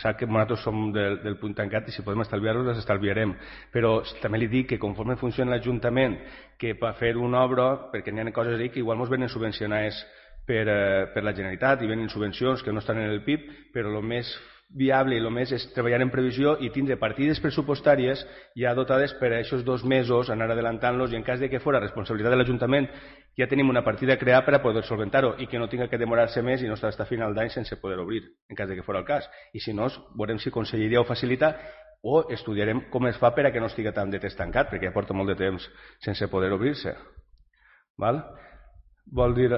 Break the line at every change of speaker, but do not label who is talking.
Sap que nosaltres som del punt tancat i si podem estalviar-los, les estalviarem. Però també li dic que conforme funciona l'Ajuntament, que per fer una obra, perquè n'hi ha coses ahí que igual ens venen subvencionades per la Generalitat i venen subvencions que no estan en el PIB, però el més viable i el més és treballar en previsió i tindre partides pressupostàries ja dotades per a aquests 2 mesos, anar adelantant-los, i en cas de que fos responsabilitat de l'Ajuntament ja tenim una partida creada per a poder solventar-ho i que no tinga que demorar-se més i no estar fins a final d'any sense poder obrir, en cas de que fos el cas. I si no, veurem si Conselleria ho facilita o estudiarem com es fa per a que no estigui tant de temps tancat, perquè ja porta molt de temps sense poder obrir-se. Val? Vol dir...